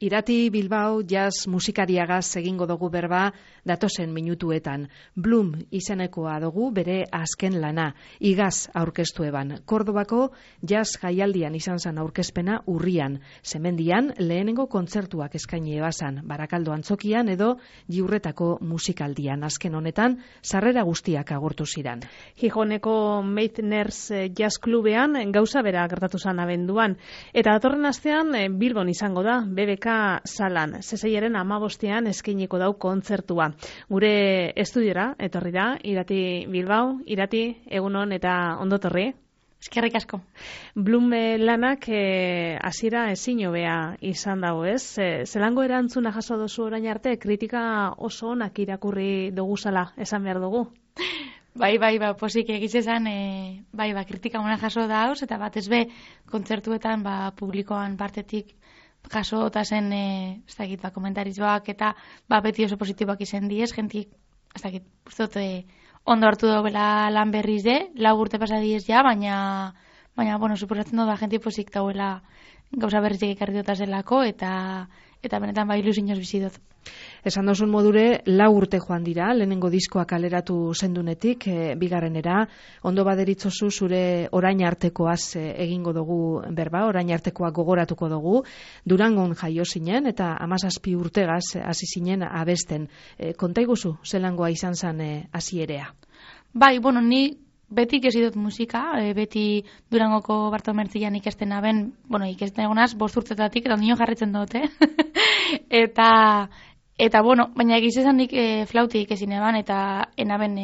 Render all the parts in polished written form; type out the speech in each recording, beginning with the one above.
Irati Bilbao jazz musikariagaz egingo dugu berba datozen minutuetan. Bloom izenekoa dugu bere azken lana, igaz aurkeztu eban. Kordobako jazz jaialdian izan zen aurkezpena urrian. Semendian lehenengo kontzertuak eskaini ebazan, Barakaldo antzokian edo Jiurretako musikaldian. Azken honetan, sarrera guztiak agortu ziran. Gijoneko Meitners Jazz Klubean gauza bera gertatu zen abenduan. Eta datorren astean Bilbon izango da, BBK salan, zeseiaren 15ean eskainiko dau kontzertua. Gure estudiora, etorri da, Irati Bilbao, Irati, egunon eta ondotorri. Eskerrik asko. Bloom lanak hasiera ezin hobea izan dago, ez? Zelango erantzuna jaso dozu orain arte, kritika oso onak irakurri doguzala, esan behar dugu? Bai, posik egiz esan, kritika ona jaso dauz, eta batez be, kontzertuetan, publikoan partetik jaso eta zen, komentarizioak eta beti oso positiboak izan diez, jentik, ondo hartu dagoela lan berriz de, 4 urte pasa diez ja, baina, suposatzen dut, jentik posik dauela gauza berrizik ekarri dut zelako, eta benetan ilusioz bizi dut. Esan dozun modure, 4 urte joan dira, lehenengo diskoa kaleratu zendunetik, bigarrenera, ondo baderitzozu zure orain artekoaz egingo dugu berba, orain artekoa gogoratuko dugu, Durangon jaio zinen, eta 17 urtegaz hasi zinen abesten. Konta iguzu, zelangoa izan zen hasierea? Ni beti ikesi dut musika, beti Durangoko Bartomertzian ikesten aben, ikesten egonaz, 5 urtetatik, eta nio jarritzen dute. Baina egiz esan nik flauti ikesin eban, eta enaben,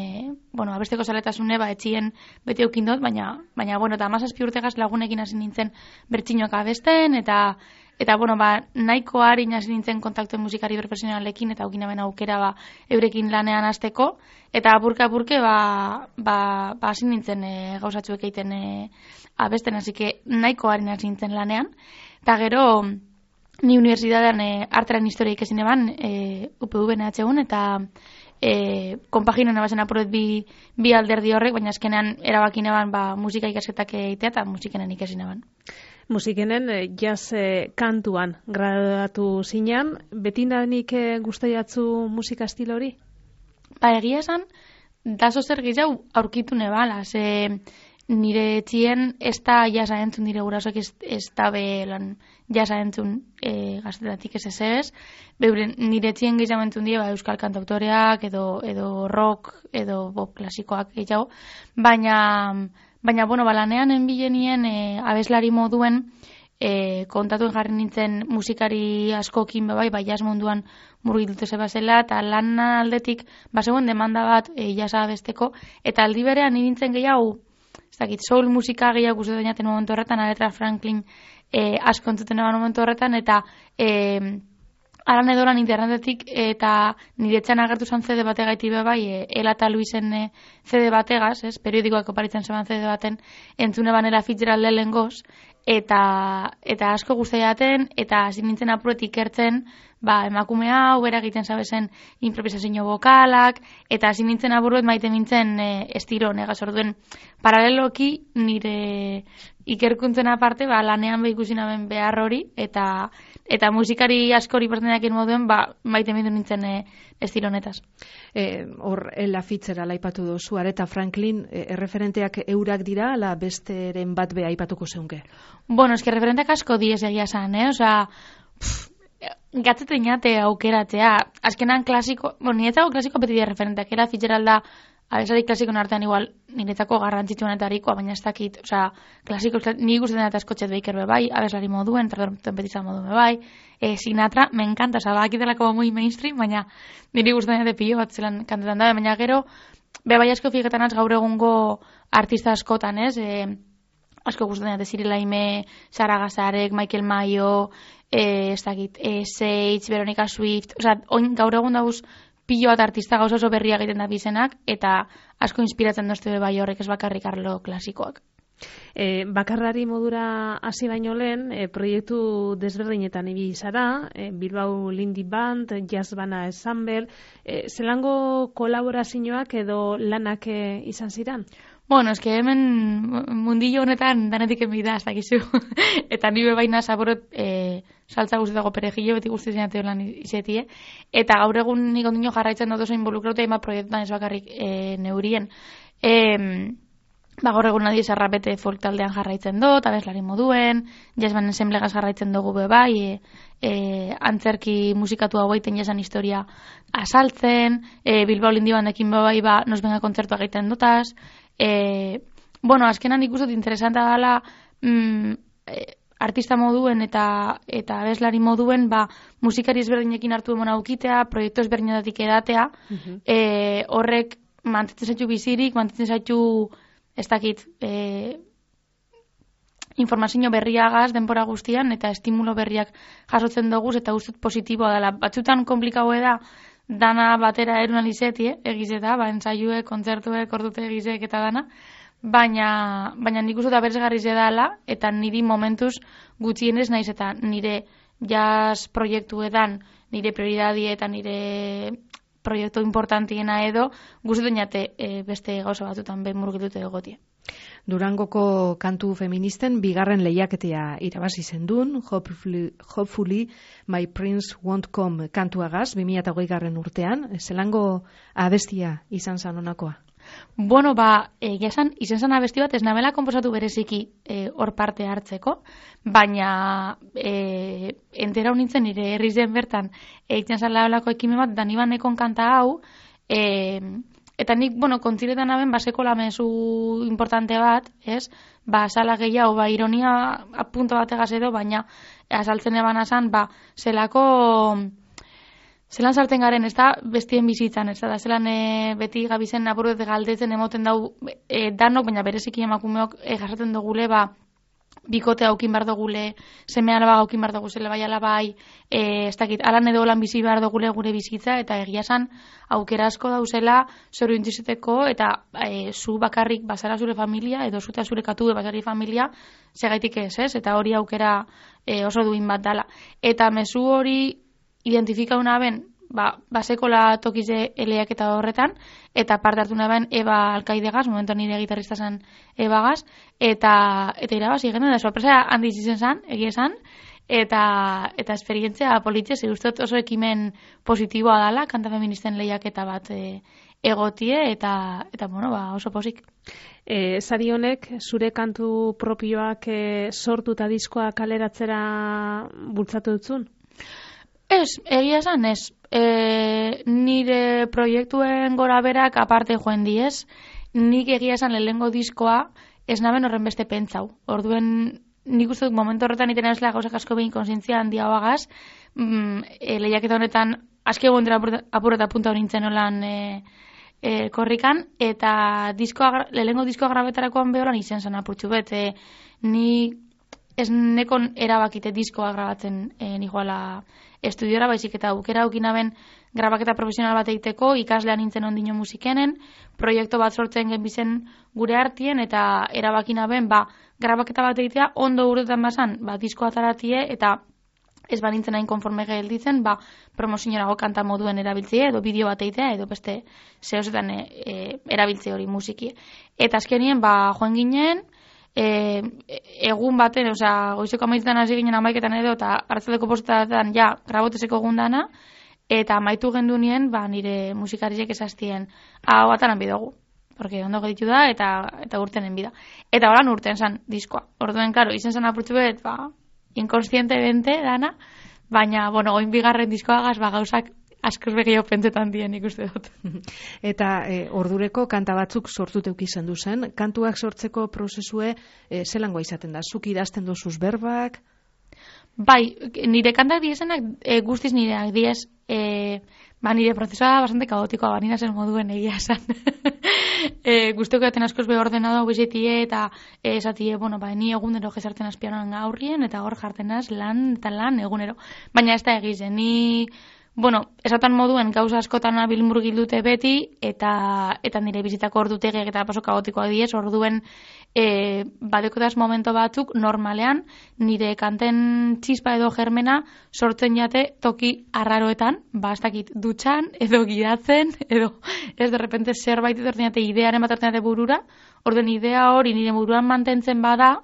abesteko zaletasune, etxien beti eukin dut, baina, eta 17 urtegaz lagunekin hasi nintzen bertxinoak abesten, eta nahiko harin hasi nintzen kontaktuen musikari profesionalekin, eta eukin aben aukera eurekin lanean hasteko, eta apurke hasi nintzen gauzatxuek egiten abesten, hasi nahiko harin hasi nintzen lanean, eta gero, ni unibertsitatean artearen historia ikesin eban, UPV-en HU-n, eta konpaginen ebazen apuret bi alderdi horrek, baina azkenean erabakin eban musika ikasketak egitea eta musikenen ikesin eban. Musikenen jazz kantuan graduatu zinean, betindanik gustaiatzu musika estilo hori? Egia esan, dazo zer gehiago aurkitu nebala, nire etxien ez da jasa entzun, nire gurasoak ez da lan jasa entzun gaztetatik ez ez. Nire etxien gehiago entzun die euskal kantautoreak edo rock edo pop klasikoak gehiago. Baina lanean enbilenien abeslari moduen kontatuen jarri nintzen musikari askokin jazz munduan murgiltute zebazela, eta lan aldetik zegoen demanda bat jasa abesteko, eta aldi berean nintzen gehiago soul musika gehiago guztu dainaten momentu horretan, Aretha Franklin asko entzuten eban momentu horretan, eta aran edoran internetetik, eta niretzan agertu zen CD bate gaiti Ela eta Luisen CD bategaz, periodikoak oparitzen zeban CD baten, entzune banela Fitzgerald lehengoz, eta asko guztu jaten, eta hasi nintzen apuretik ikertzen, emakume hau, bera egiten zabezen improvisazio vokalak, eta hasi nintzen aburuet maite nintzen estilo negaz orduen. Paraleloki nire ikerkuntzen aparte, lanean ikusi naben behar hori, eta musikari askori pertsenakin moduen, maite nintzen estilo honetaz. Hor, Ella Fitzgerald aipatu duzu, Aretha Franklin, erreferenteak eurak dira, ala besteren bat beha aipatuko zeunke? Referenteak asko diez egia zan, gatzete inate aukeratzea, azkenan klasiko, niretzako klasiko beti dira referenteak, Ella Fitzgerald da, abesari klasikon artean igual, niretzako garrantzitsuenetarikoa, baina ez dakit, klasiko, nik gustatzen eta Scotchet Baker bebai, abeslari moduen, trompeten betizan moduen bebai, Sinatra, me encanta, bakitelako muy mainstream, baina niri gustatzen eta pilo bat zelan kantetan da, baina gero, bebai asko fiketan az gaur egungo artista askotan, asko gustatzen eta Cyril Laime, Sara Gazarek, Michael Mayo, Sage, Veronica Swift, gaur egun dauz pilo bat artista gauza oso berria egiten da bizenak, eta asko inspiratzen dozte bai horrek ez bakarrik arlo klasikoak. Bakarrari modura hasi baino lehen, proiektu desberdinetan ibili zara, Bilbao Lindy Band, Jazz Bana Ensemble, zelango kolaborazioak edo lanak izan ziren? Hemen mundillo honetan danetik enbida, ez dakizu. Eta nire baina zaborot saltza guztietako perejillo, beti guztietan lan izetie. Eta gaur egun nik ondino jarraitzen dut oso involukrauta ima proiektuan ez bakarrik neurien. Gaur egun nadiz arrapete folk taldean jarraitzen dut, abeslari moduen, jazzban ensemblegaz jarraitzen dugu bai, antzerki musikatu hau egiten jazzan historia asaltzen, Bilbao Lindi bandekin bai, nos venga kontzertua egiten dutaz. Azkenan ikusot interesanta dela artista moduen eta abeslari moduen musikari ezberdinekin hartu emon aukitea, proiektu ezberdinetatik edatea, horrek mantetzen zaitu bizirik, mantetzen zaitu ez dakit, informazio berriagaz denbora guztian eta estimulo berriak jasotzen dugu eta ustut positiboa dela. Batzutan komplikaue da dana batera erun alizeti, egizeta, ensaiue, kontzertue, ordute egizek eta dana, baina nik uste da beresgarri dela eta niri momentuz gutxienez naiz eta nire jazz proiektuetan, nire prioridadie eta nire proiektu importantiena edo, guztetan jate beste gauza batutan behin murgitute egotie. Durangoko kantu feministen bigarren lehiaketea irabazi zendun, Hopefully My Prince Won't Come kantuagaz, 2008 urtean, zelango abestia izan zan honakoa? Izan zan abesti bat ez nabela konposatu bereziki hor parte hartzeko, baina entera honintzen nire herrizen bertan egiten zala olako ekimen bat, da niban ekon kanta hau, eta nik, kontziretan aben, baseko lamezu importante bat, ez? Sala gehiago, ironia apunto bategaz edo, baina azaltzen eban azan, zelan sartzen garen, ez da, bestien bizitzan, ez da, zelan beti gabizen apurret galdetzen emoten dau danok, baina bereziki emakumeok jasaten dugule, bikote haukin behar dugule, seme alaba haukin behar dugule, bai alabai, ez dakit, alan edo lan bizi behar dugule gure bizitza, eta egia esan aukera asko dauzela zoru intzizeteko, eta zu bakarrik bazara zure familia, edo zuta zure katu bazari familia, segaitik ez, eta hori aukera oso duin bat dala. Eta mezu hori identifika una ben, basekola tokize eleak eta horretan, eta parte hartu naben Eba Alkaidegaz, momentu nire gitarrista zen Ebagaz, eta irabazi genuen, da sorpresa handiz izen zen, egia esan, eta esperientzia politxe, zehuztot oso ekimen positiboa dala, kanta feministen lehiaketa bat egotie, eta oso posik. Sari honek, zure kantu propioak sortu eta diskoa kaleratzera bultzatu dutzun? Ez, egia esan ez. Nire proiektuen gora berak aparte joen diez, nik egia esan lehengo diskoa ez naben horren beste pentsau. Orduen, nik uste dut momentu horretan iten ez gauzak asko behin konsientzia handia hoagaz, lehiaketa honetan aski egon dira apurreta punta honintzen olan korrikan, eta lehengo diskoa grabetarakoan behoran izen zen apurtxu bet. Ni ez nekon erabakite diskoa grabatzen nikoala estudiora, baizik eta aukera aukinaben grabaketa profesional bat egiteko, ikaslean nintzen ondino musikenen, proiektu bat sortzen genbizen gure artien, eta erabakinaben, grabaketa bat egitea, ondo urtetan bazan, diskoa taratie, eta ez nintzen hain konforme gelditzen, promozionago kanta moduen erabiltzea, edo bideo bat egitea, edo beste zehozetan erabiltze hori musiki. Eta azkenien, joan ginen, egun baten, goizeko amaitzetan hasi ginen amaiketan edo, eta hartzateko postetan grabotezeko gundana, eta amaitu gendu nien, nire musikarizek esaztien, hau batanan bidogu, porque ondo geditu da, eta urtenen bida. Eta horan urten zan diskoa. Orduen, karo, izen zan apurtzu bet, inkonstiente bente dana, baina, oin bigarren diskoagaz, gauzak askoz begio pentsetan dien ikuste dut. Eta ordureko kanta batzuk sortuteuk izan duzen, kantuak sortzeko prozesue zelangoa izaten da? Zuk idazten dozuz berbak? Bai, nire kantak diezenak guztiz nireak diez, nire prozesua bastante kaotikoa, nina zen moduen egia esan. Guzteko jaten askoz be ordenado bizitie eta esatie, ni egunero jesartzen azpianan aurrien eta hor jartenaz lan eta lan egunero. Baina ez da egizen, ni esatan moduen gauza askotan abil murgildute beti, eta nire bizitako ordutegiak eta paso kaotikoa diez, orduen badekotaz momento batzuk normalean nire kanten txispa edo germena sortzen jate toki arraroetan, ez dakit dutxan, edo gidatzen, edo ez derrepente zerbait etortzen jate idearen bat etortzen jate burura, orduen idea hori nire buruan mantentzen bada,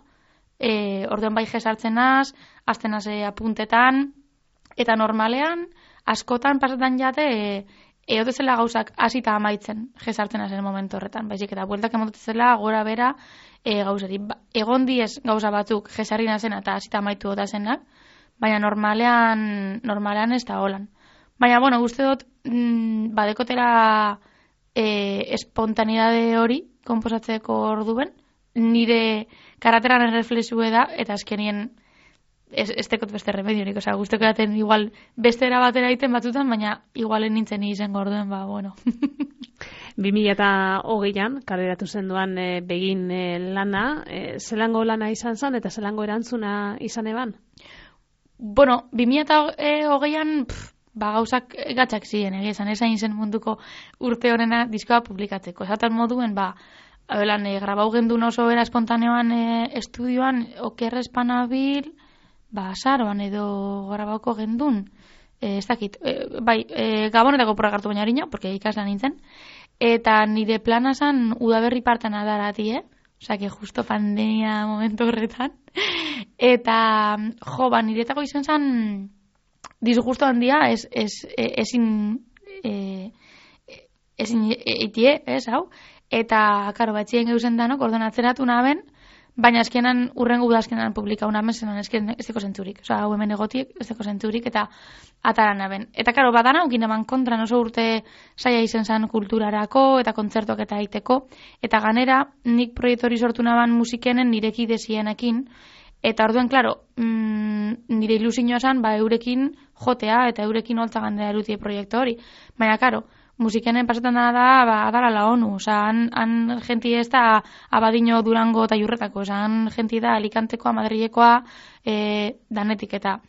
orduan bai jesartzen az, azten haze apuntetan, eta normalean, askotan pasetan jate, eotezela gauzak hasita amaitzen jesartzen hazen momentu horretan. Baizik eta bueltak emotezela gora bera gauzari. Egon diez gauza batzuk jesarri nazena eta hasita amaitu otazenak, baina normalean ez da holan. Baina, bueno, uste dut, badekotera espontanidade hori konposatzeko orduen, nire karateran erreflexue da, eta azkenien ez tekot beste remediorik, oza, guzteko daten igual bestera batera egiten batzutan, baina igualen nintzen izango orduen, bueno. 2008an, kaleratu zenduan begin lana, zelango lana izan zen, eta zelango erantzuna izan eban? Bueno, 2008an, gauzak gatzak ziren, esan zen munduko urte horrena diskoa publikatzeko. Esatan moduen, grabau gendun oso era espontaneoan estudioan, okerrespanabil, azaroan edo grabauko gendun, ez dakit, Gabonetako progartu baina harina, porque ikaslan nintzen, eta nire plana zan udaberri partan adarati, Osa, que justo pandemia momentu horretan. Eta, niretako izan zan disgusto handia, ezin eitie, hau? Eta, karo, batxien geuzen danok, orduan atzeratu naben, baina eskenan, urrengo udazkenan publikau naben, zenan ez deko zentzurik. Osa, hau hemen egotiek, ez deko zentzurik, eta atara naben. Eta, karo, badana, ukin eman kontran oso urte saia izen zan kulturarako, eta kontzertuak eta aiteko. Eta ganera, nik proiektori sortu naban musikenen nireki desienekin, eta orduen, klaro, nire ilusioa zan, eurekin jotea, eta eurekin holtza gandera erutie proiektu hori. Baina, klaro, musikenen pasetan da, adala la ONU, oza, han genti ez da Abadiño, Durango eta Jurretako, oza, han genti da Alicantekoa, Madrilekoa, danetik eta,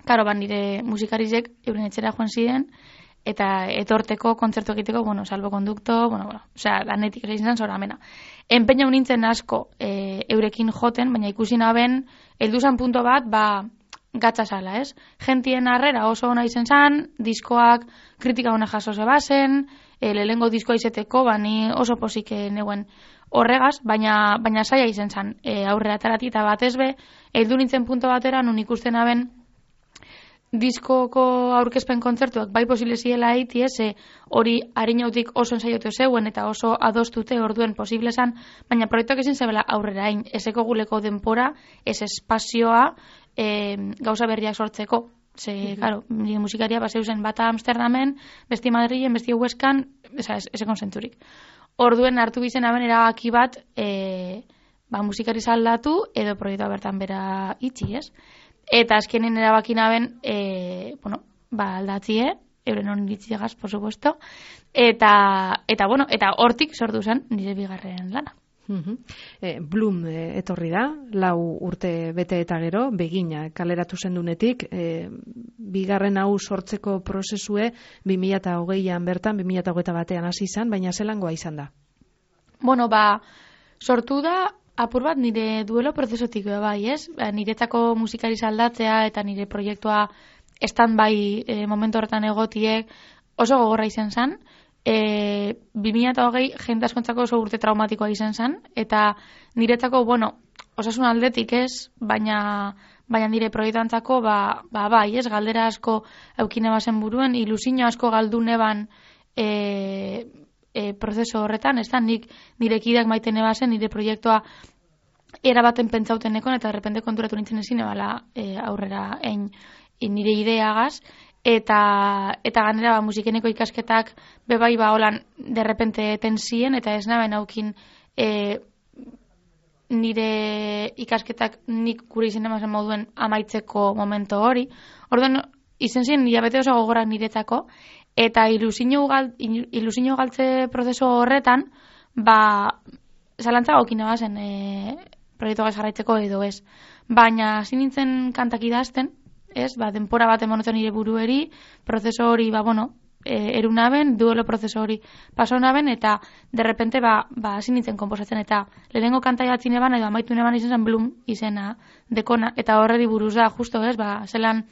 karo, nire musikarizek euren etxera joan ziren, eta etorteko, kontzertu egiteko, salbo kondukto, oza, danetik izan zora amena. Enpeina nintzen asko eurekin joten, baina ikusi naben, helduzan punto bat, gatza sala, ez? Gentien harrera oso ona izen zan, diskoak kritika ona jaso zebazen, lehengo diskoa izeteko, ni oso posik neuen horregaz, baina saia izen zan aurrera atarati, eta batez be, heldu nintzen punto batera, nun ikusten aben, diskoko aurkezpen kontzertuak bai posible ziela eiti, hori harinautik oso ensaiotu zeuen eta oso adostute orduen posible zan, baina proiektuak ezin zebela aurrera hain, ezeko guleko denpora, ez espazioa, gauza berriak sortzeko. Claro, nire musikaria baseuzen bata Amsterdamen, besti Madrilen, besti Huescan, ez konzentzurik. Orduen hartu bizen aben erabaki bat musikari aldatu edo proiektua bertan bera itxi, ez? Eta azkenin erabaki naben, aldatzie, euren hon ditziegaz, por supuesto, eta hortik sortu zen nire bigarren lana. Bloom etorri da, 4 urte bete eta gero, begina kaleratu zendunetik, bigarren hau sortzeko prozesue 2008an bertan, 2021an hasi izan, baina zelangoa izan da? Sortu da, apur bat nire duelo prozesotik bai, ez? Niretzako musikari aldatzea eta nire proiektua stand-by momentu horretan egotiek oso gogorra izan zen. 2008 jente askontzako oso urte traumatikoa izan zen, eta niretzako, osasun aldetik ez, baina nire proiektuantzako, bai, ez, galdera asko eukine bazen buruen, ilusio asko galdu neban prozeso horretan, ez da, nire kideak maiten ebazen, nire proiektua erabaten pentsautenekon, eta derrepente konturatu nintzen ezin ebala aurrera nire ideagaz, eta ganera musikeneko ikasketak bebai holan derrepente tensien, eta ez naben haukin nire ikasketak nik gure izen emazen moduen amaitzeko momento hori. Orduan, izen ziren hilabete oso gogorak niretzako, eta ilusio galtze prozeso horretan, zalantza gaukina bazen proiektu gaz jarraitzeko edo ez. Baina, hasi nintzen kantak idazten, ez, denpora bat emonotzen nire burueri, prozeso hori, erunaben, duelo prozeso hori paso naben, eta derrepente, hasi nintzen komposatzen, eta lehenengo kanta jatzin eban, edo amaitu neban izan zen Bloom izena dekona, eta horredi buruz da, justo, ez, zelan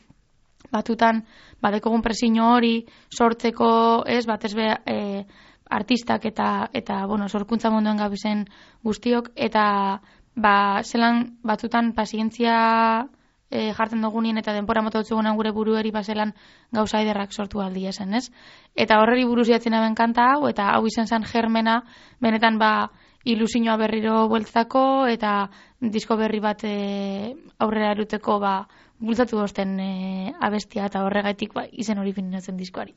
batutan, dekogun presio hori sortzeko, ez, batez be, artistak eta sorkuntza munduan gabizen guztiok, eta zelan batutan pazientzia jartzen dugunien eta denpora mota dutzugunan gure burueri bazelan gauza ederrak sortu aldi esen, ez? Eta horreri buruz jatzen aben kanta hau, eta hau izen zen germena, benetan ilusioa berriro bueltzako, eta disko berri bat aurrera eruteko bultzatu osten abestia, eta horregaitik izen hori fininatzen diskoari.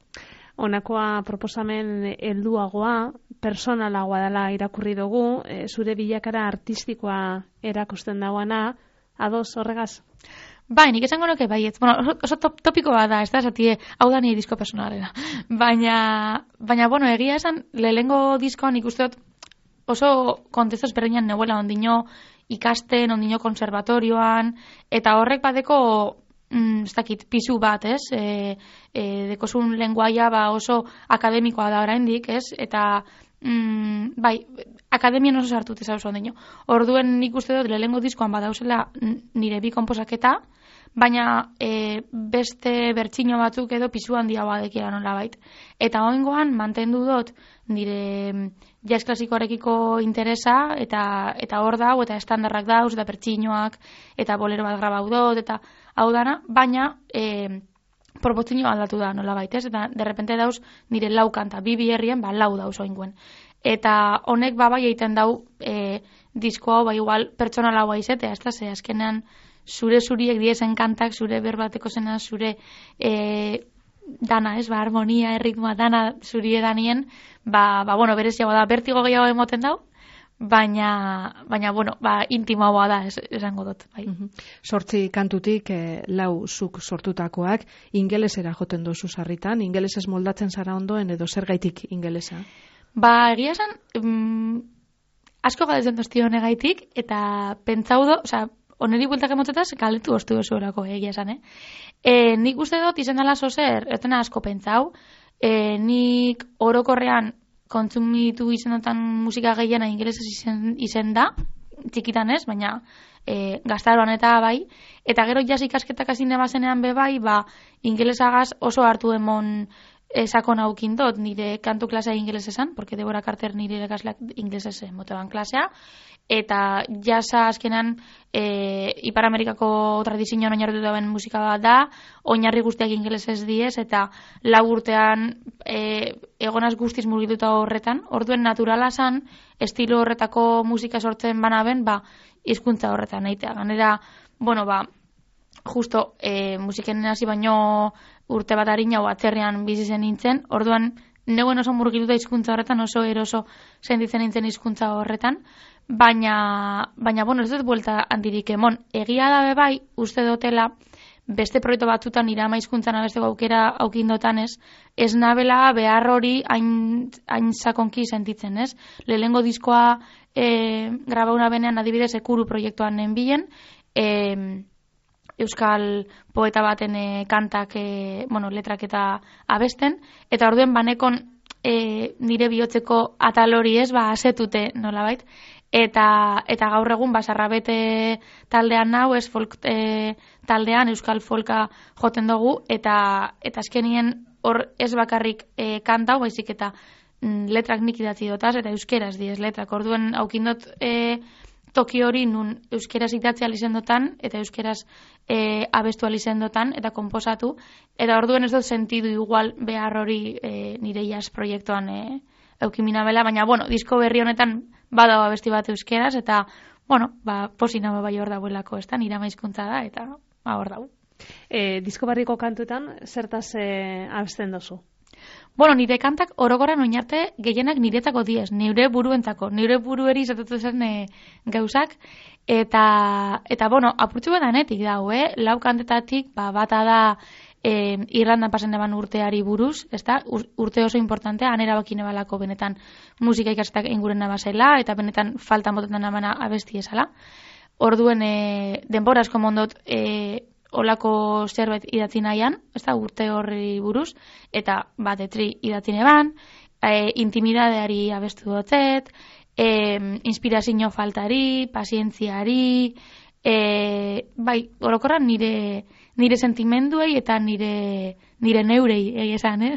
Honakoa proposamen helduagoa, personalagoa dela irakurri dugu, zure bilakara artistikoa erakusten dagoana, ados horregaz? Bai, nik esango nuke baietz. Bueno, oso topiko bat da, ez da, esatie, hau da nire disko personalera. Baina, bueno, egia esan, lehengo diskoan ikuste dut oso kontestu ezberdinan neuela ondino ikasten, ondino konservatorioan, eta horrek badeko ez dakit, pisu bat, ez? Dekozun lenguaia oso akademikoa da oraindik, ez? Eta, bai, akademian oso sartut ez hau ondino. Orduen nik uste dut lehengo diskoan badauzela nire bi konposaketa, baina beste bertsino batzuk edo pisu handia badekiela nola bait. Eta oingoan mantendu dut nire jazz klasikoarekiko interesa, eta hor dau, eta estandarrak dauz, eta bertsinoak, eta bolero bat grabau dut, eta hau dana, baina proportzio aldatu da nola baitez, eta derrepente dauz nire lau kanta, bi herrien, lau dauz oinguen. Eta honek bai egiten dau disko hau, igual pertsonalagoa izetea, ez da, ze azkenean zuriek diezen kantak, zure berbateko zena, zure dana, ez, harmonia, erritmoa, dana zuri edanien, bueno, bereziagoa da, bertigo gehiago emoten dau, baina bueno, intimoagoa da, esango dut, bai. 8 kantutik, 4 zuk sortutakoak, ingelesera joten dozu sarritan, ingelesez moldatzen zara ondoen, edo zergaitik ingelesa? Egia esan, asko galdetzen doztio honegaitik, eta pentsau do, oneri bueltak emotzetaz, galdetu ostu oso orako, egia esan, nik uste dut izen dela zozer, etena asko pentsau, nik orokorrean kontsumitu izendotan musika gehiena ingelesez izen da, txikitan ez, baina gaztaroan eta bai, eta gero jazz ikasketak azine bazenean bai, ingelesagaz oso hartu emon sakon haukin dut, nire kantu klasea ingelesezan, porque Deborah Carter nire irakasleak ingelesez moteban klasea, eta jazza azkenan Ipar Amerikako tradizioan oinarritu dauen musika bat da, oinarri guztiak ingelesez diez, eta 4 urtean egonaz guztiz murgituta horretan, orduen naturala zan, estilo horretako musika sortzen banaben, hizkuntza horretan eitea. Ganera, bueno, justo musiken hasi baino urte bat harina atzerrian bizi zen nintzen, orduan neuen oso murgituta hizkuntza horretan, oso eroso sentitzen nintzen hizkuntza horretan, baina bueno, ez dut buelta handirik emon. Egia da bai, uste dutela, beste proiektu batzutan irama hizkuntzan abesteko aukera aukindotan ez nabela behar hori hain sakonki sentitzen, ez? Lehengo diskoa grabauna benean adibidez ekuru proiektuan nenbilen, euskal poeta baten kantak, letrak eta abesten, eta orduen banekon nire bihotzeko atal hori asetute nolabait, eta gaur egun Basarrabete taldean nau, folk taldean euskal folka joten dugu, eta azkenien hor ez bakarrik kantau, baizik eta letrak nik idatzi dotaz, eta euskeraz diez letrak, orduen aukindot toki hori nun euskeraz idatzi alizendotan, eta euskeraz abestu alizendotan, eta komposatu, eta orduen ez dut sentidu igual behar hori nire jazz proiektuan eukimina bela, baina, bueno, disko berri honetan badago abesti bat euskeraz, eta, bueno, posina bai hor dagoelako, ez da, nire maizkuntza da, eta hor dago. Disko barriko kantuetan, zertaz abesten dozu? Bueno, nire kantak orokorran oinarte gehienak niretako diez, nire buruentzako, nire burueri izatatu zen gauzak, eta bueno, apurtzu badanetik dago, 4 kantetatik, bata da Irlandan pasen eban urteari buruz, ezta? Urte oso importantea, han erabakine balako benetan musika ikastak ingurena basela, eta benetan faltan botetan amana abesti esala. Orduen denbora asko mondot olako zerbait idatzi nahian, ezta, urte horri buruz, eta etri idatzi neban, intimidadeari abestu dotzet, inspirazio faltari, pazientziari, bai, orokorran nire sentimenduei eta nire neurei, esan,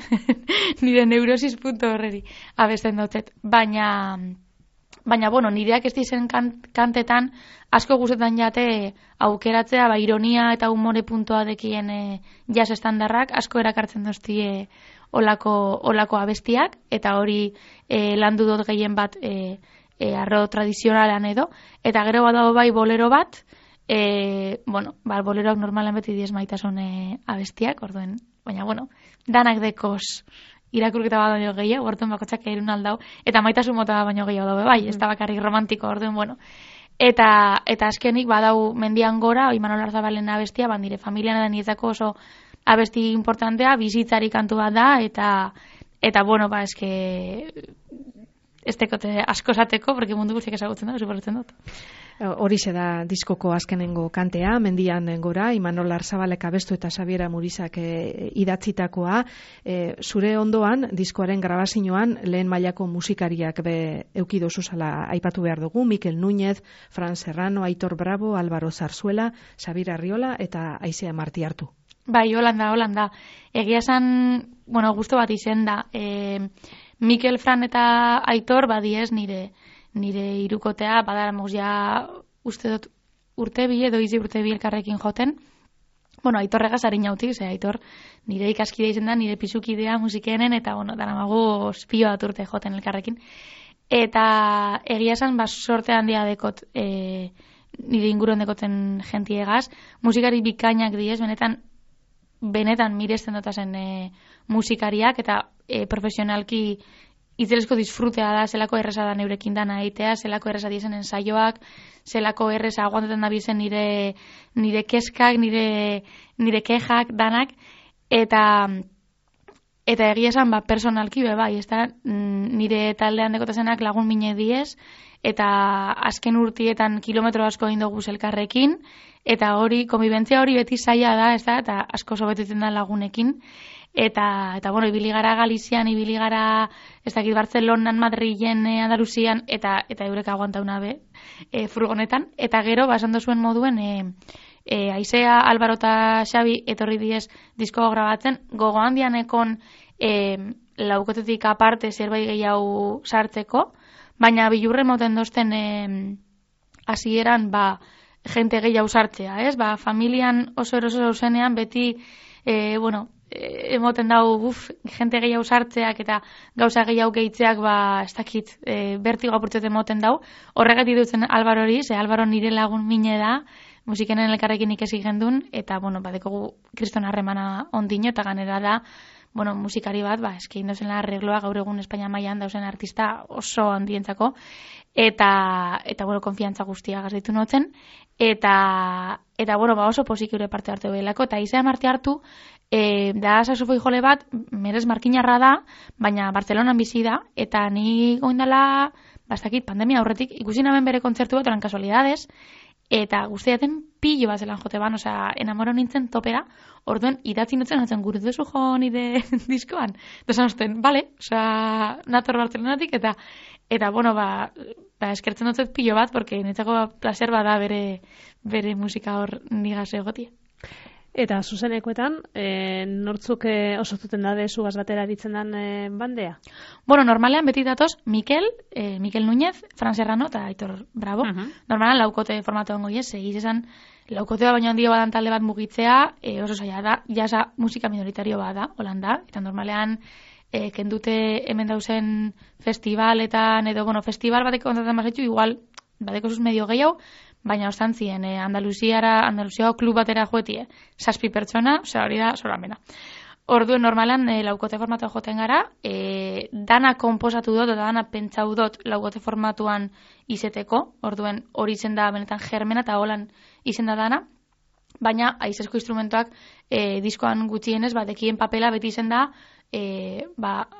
nire neurosis punto horreri abesten dotzet. Baina Baina, bueno, nireak ez dizen kantetan asko guzetan jate aukeratzea, ironia eta humore puntoa dekien jazz estandarrak asko erakartzen doztie olako abestiak, eta hori landu dut gehien bat arro tradizionalan edo, eta gero badago bai bolero bat, boleroak normalan beti diez maitasun abestiak, orduen, baina, danak dekoz irakurketa bat baino gehiago, orduan bakotxak erun aldau, eta maitasun mota baino gehiago dabe bai, ez da bakarrik romantiko, orduen, eta azkenik badau mendian gora, Imanol Arzabalen abestia, bandire familian edan nietzako oso abesti importantea, bizitzari kantu bat da, eta eske ez tekote asko esateko, porque mundu guztiak ezagutzen da, superretzen dut. Horixe da diskoko azkenengo kantea, mendian gora, Imanol Arzabalek abestu eta Xabiera Murizak idatzitakoa. Zure ondoan, diskoaren grabazioan, lehen mailako musikariak eukido zuzala aipatu behar dugu, Mikel Núñez, Fran Serrano, Aitor Bravo, Álvaro Zarzuela, Xabier Arriola eta Aizea Marti hartu. Bai, Holanda. Egia esan, gusto bat izen da. Mikel, Fran eta Aitor badiez nire irukotea, badaramuz ja uste dut urte bi edo izi urte bi elkarrekin joten. Aitorregaz harin jautik, Aitor nire ikaskide izen da, nire pisukidea musikenen, eta daramagu spio bat urte joten elkarrekin. Eta egia esan, sorte handia dekot nire inguruen dekoten jentiegaz. Musikari bikainak diez, benetan miresten dotazen musikariak, eta profesionalki itzelesko disfrutea da, zelako erresa da neurekin dana egitea, zelako erresa diezen ensaioak, zelako erresa aguantetan da bizen nire keskak, nire kejak, danak, eta egia esan, personalki, bai, ez da, nire taldean dekotazenak lagun mine diez, eta azken urtietan kilometro asko egin dugu elkarrekin, eta konbibentzia hori beti zaila da, ez da, eta asko sobetetzen da lagunekin, eta ibili gara Galizian, ibili gara, ez dakit, Bartzelonan, Madrilen, Andaluzian, eta eurek aguantauna furgonetan, eta gero, esan dozuen moduen, Aizea, Álvaro eta Xabi etorri diez disko grabatzen, gogo handianekon laukotetik aparte zerbait gehiago sartzeko, baina bilurre moten dozten hasieran jente gehiago sartzea, ez? Familian oso eroso zenean beti, emoten dau, jente gehiago sartzeak eta gauza gehiago gehitzeak, ez dakit, bertigo apurtzete emoten dau. Horregatik dutzen Álvaro hori, Álvaro nire lagun mine da, musikenen elkarrekin ikesi gendun, eta, badekogu kriston harremana ondino, eta ganera da, musikari bat, eskein dauzen arregloa gaur egun Espainia mailan dauzen artista oso handientzako, eta konfiantza guztia gazitu notzen, eta oso posik eure parte hartu behelako, eta Aizea Marti hartu, da saxofoi jole bat, merez markinarra da, baina Bartzelonan bizi da, eta ni goindala, bastakit, pandemia aurretik, ikusi naben bere kontzertu bat, oran kasualidades, eta guztiaten pillo bat zelan jote ban, enamoro nintzen topera, orduen idatzi nutzen gure duzu jo nire diskoan. Dozan osten, bale, nator Bartzelonatik, eta eskertzen dutzet pillo bat, porque netzako placer bada bere musika hor nigaz egotia. Eta zuzenekoetan, nortzuk osotuten da zugaz batera ditzen den bandea? Normalean beti datoz Mikel Núñez, Fran Serrano eta Aitor Bravo. Normalean laukote formatu ongo egiz esan laukotea baino handio badan talde bat mugitzea, oso zaila da, jasa musika minoritario bada, Holanda, eta normalean kendute hemen dauzen festivaletan, edo, festival bateko kontratzen bazetxu, igual, bateko zuz medio gehiago, baina ostantzien, Andaluzia klub batera joetie, 7 pertsona, hori da, soramena. Orduen normalan, laukote formatuan joten gara, dana konposatu dut, eta dana pentsau dut laukote formatuan izeteko, orduen hori izen da benetan germena, eta holan izen da dana, baina aizesko instrumentoak diskoan gutxienez, dekien papela beti izen da,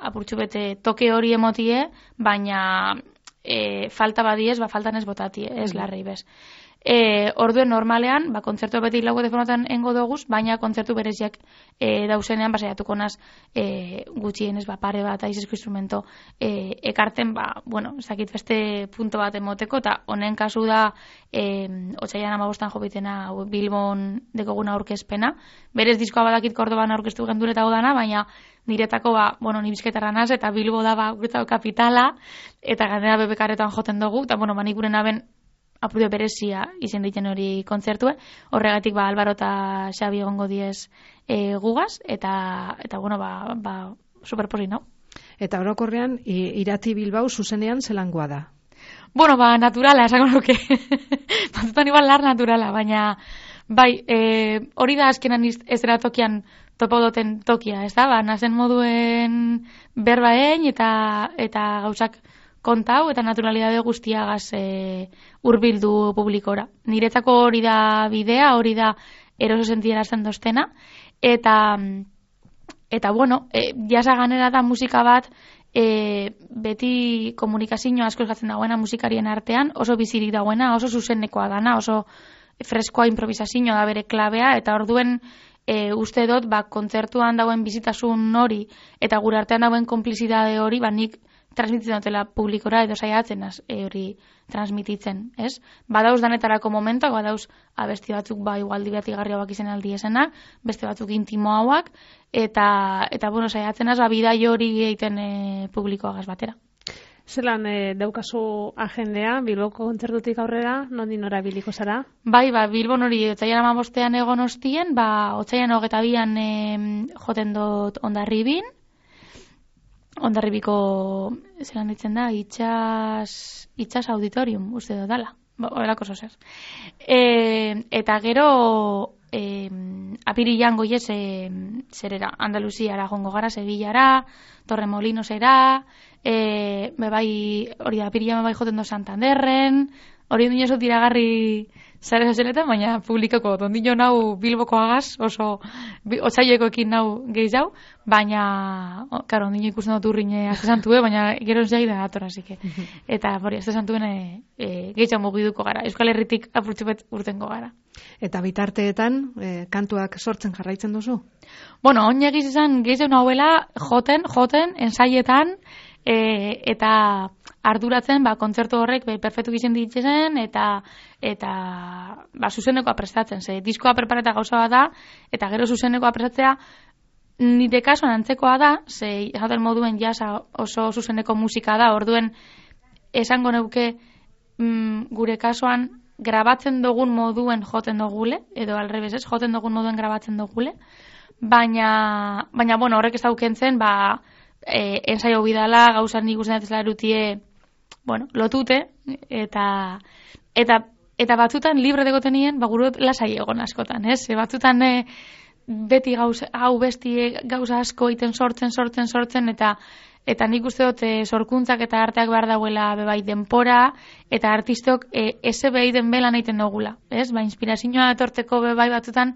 apurtxu bete toke hori emotie, baina falta badiez, faltan ez botatie, ez larrei bez. Orduen normalean, kontzertu beti lau telefonotan engo doguz, baina kontzertu bereziak dauzenean, saiatuko naz gutxienez, pare bat aizizko instrumento ekarten, ez dakit beste punto bat emoteko, eta honen kasu da, otsailean 15 jobitena Bilbon dekoguna aurkezpena. Berez diskoa badakit Kordoban aurkeztu gendure eta odana, baina niretako, ni bizkaitarra naz, eta Bilbo da, guretako kapitala, eta gainera BBK-retan joten dugu, eta, nik gure naben apurdio berezia izen ditzen hori kontzertue, horregatik, Albaro eta Xabi egongo diez gugaz, eta superposi, no? Eta orokorrean, Irati Bilbao zuzenean zelangoa da? Naturala, esango nuke. Batzutan igual lar naturala, baina bai, hori da azkenan ez dira tokian topo doten tokia, ez da? Nazen moduen berbaen eta gauzak kontau eta naturalidade guztiagaz hurbildu publikora. Niretzako hori da bidea, hori da eroso sentierazten doztena, eta jasa ganera da musika bat, beti komunikazio asko eskatzen dagoena musikarien artean, oso bizirik dagoena, oso zuzenekoa dana, oso freskoa improvisazioa da bere klabea, eta orduen uste dut, kontzertuan dagoen bizitasun hori, eta gure artean dagoen konplizidade hori, nik transmititzen dutela publikora edo saiatzen hori transmititzen, ez? Badauz danetarako momentuak, badauz abesti batzuk igual divertigarriak izen aldi esenak, beste batzuk intimo hauak, eta saiatzen bidai hori egiten publikoagaz batera. Zelan daukazu agendea, Bilboko kontzertutik aurrera, nondik nora biliko zara? Bai, Bilbon hori otsailean 15ean egon ostien, otsailean 22ean joten dut Hondarribiko, zelan ditzen da, itxas auditorium, uste dut dala. Horelako zozer. Eta gero, apirilan goiez zerera, Andaluziara jongo gara, Sevillara, Torremolinosera, hori da, apirilan joten do Santanderren, hori duen oso tiragarri zare zazeletan, baina publikoko ondino nau Bilbokoagaz, oso otsailekoekin nau gehiago, baina, karo, ondino ikusten dut urrine aztesantue, baina gero enzai da atora, zike. Eta, aztesantuen gehiago mugiduko gara. Euskal Herritik apurtzupet urtengo gara. Eta bitarteetan, kantuak sortzen jarraitzen duzu? On egiz izan gehiago nahuela joten, ensaietan, eta arduratzen, kontzertu horrek perfektu gizien ditzezen, eta zuzenekoa prestatzen. Diskoa prepareta gauza bat da, eta gero zuzenekoa prestatzea, nire kasuan antzekoa da, esaten moduen jasa oso zuzeneko musika da, orduen esango neuke gure kasuan grabatzen dugun moduen joten dugule, edo alrebez ez, joten dugun moduen grabatzen dugule, baina horrek ez daukentzen, ensaio bidala, gauzan nik usten datezela erutie, lotute, eta batzutan libre degoten nien, gurut lasai egon askotan, ez? Batzutan beti gauza asko iten sortzen, eta nik uste dut sorkuntzak eta arteak behar dauela bebai denpora, eta artistok eze behi den belan egiten dugula, ez? Inspirazioa etorteko bebai batzutan,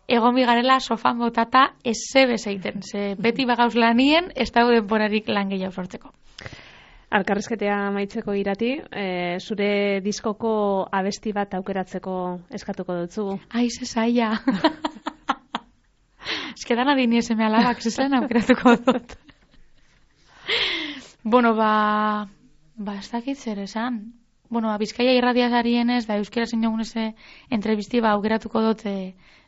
egon bigarela sofan botata eze bezeiten. Beti bagauz lanien, ez dago denporarik lan gehiago sortzeko. Alkarrizketea amaitzeko Irati, zure diskoko abesti bat aukeratzeko eskatuko dutzu. Ze zaila. Eskedan adini eseme alabak, zezaren aukeratuko dut. Ez dakit zer esan. Bizkaia irradiazarien ez, da euskera zein jogun eze entrevisti aukeratuko dut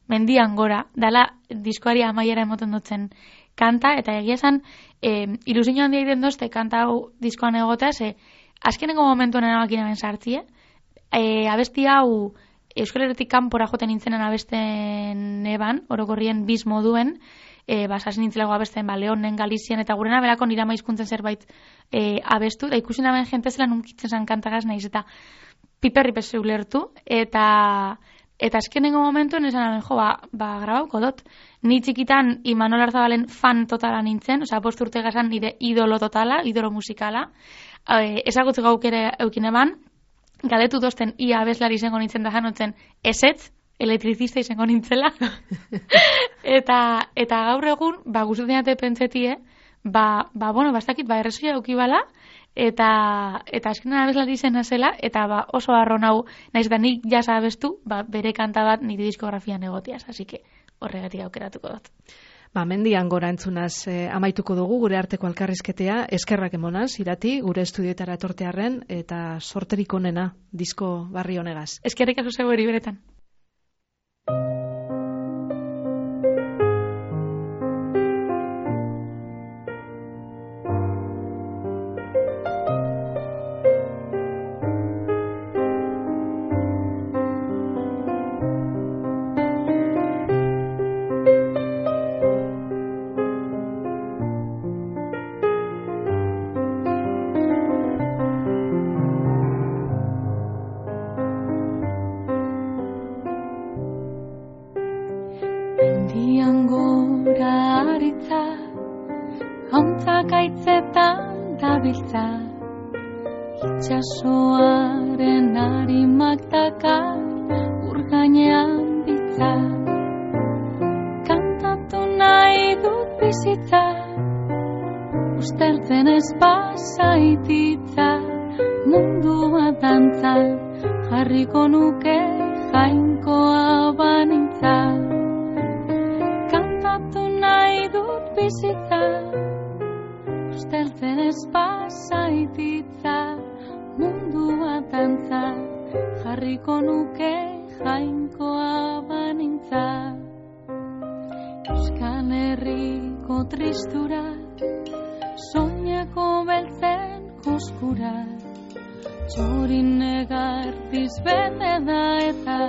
mendian gora, dala diskoari amaiera emoten dutzen kanta, eta egia esan, ilusio handia egiten dozte kanta hau diskoan egotea, azkenengo momentuan erabakin hemen sartzie, abesti hau Euskal Herritik kanpora joten nintzenen abesten eban, orokorrien biz moduen, basasen nintzelago abesten, Leonen, Galizian, eta gurena berako nira maizkuntzen zerbait abestu, da ikusi naben jente zela nunkitzen zan kantagaz nahiz, eta piperri pesu ulertu, eta azkenengo momentuen esan grabauko dut. Ni txikitan Imanol Arzabalen fan totala nintzen, bost urte gazan nire idolo totala, idolo musikala. Ezagutze gaukere eukin eban, galetu dozten ia abeslari izango nintzen da janotzen ezetz, elektrizista izango nintzela. eta gaur egun, guztetan pentsetie, ez dakit, errezoia eukibala, eta azkenan abeslari izena zela, eta oso harro nau, naiz da nik jasa abestu, bere kanta bat nire diskografian egotiaz, así que horregatik aukeratuko dut. Mendian gora entzunaz amaituko dugu gure arteko elkarrizketea, eskerrak emonaz, Irati, gure estudioetara etortearren, eta sorterik onena, disko barri honegaz. Eskerrik asko zeu hori beretan. Itxasoaren harimak dakar urgainean bitza, kantatu nahi dut bizitza, usteltzen ez basaititza, mundua dantza, jarriko nuke jainkoa banintza, kantatu nahi dut bizitza, usteltzen ez basaititza, mundua dantza, jarriko nuke jainkoa banintza. Euskal Herriko tristura, soineko beltzen koskura, txorin negartiz bete da eta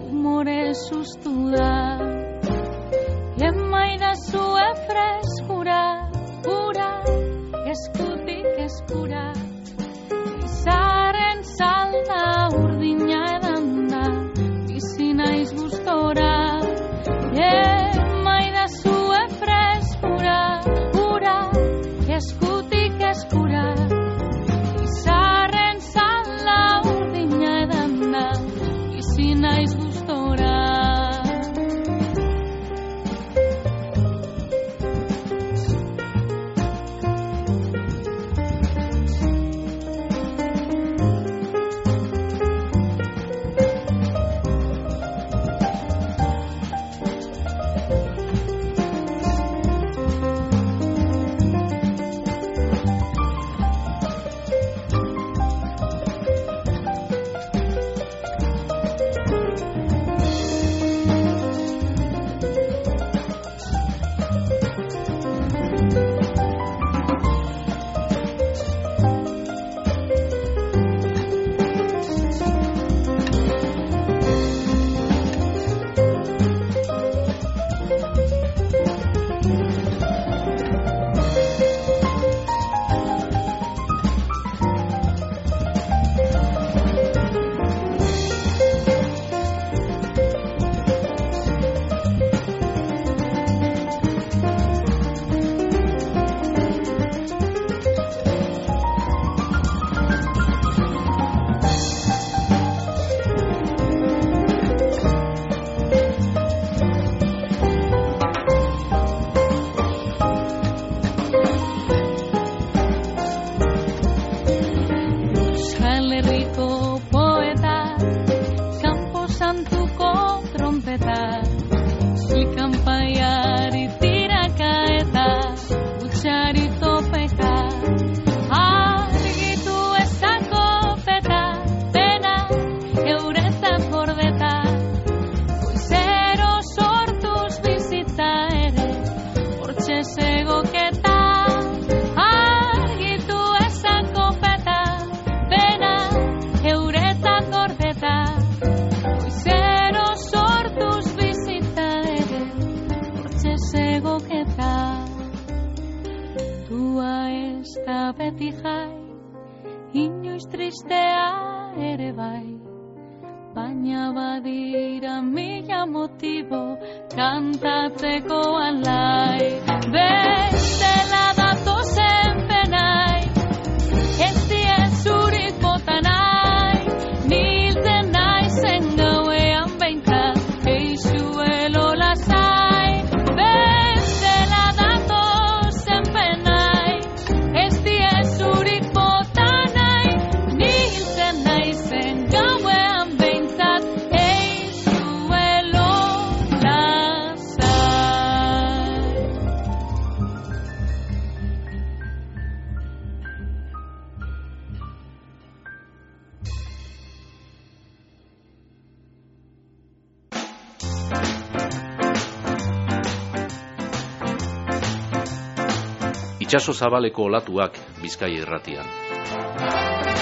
humore sustu da. Emaidazue freskura, ura, eskutik eskura, izaren salda urdina edan da, bizi naiz gustora. Emaidazue freskura, ura, eskutik eskura, izaren salda urdina edan da, bizi naiz gustora. Baina badira mila motibo kantatzeko alai. Bestela datozen penai, ez diezurik bota nahi, niltzen naizen gauean behintzat, eixuelo lasai. Bestela datozen penai, ez diezurik bota Itsaso zabaleko olatuak Bizkaia irratian.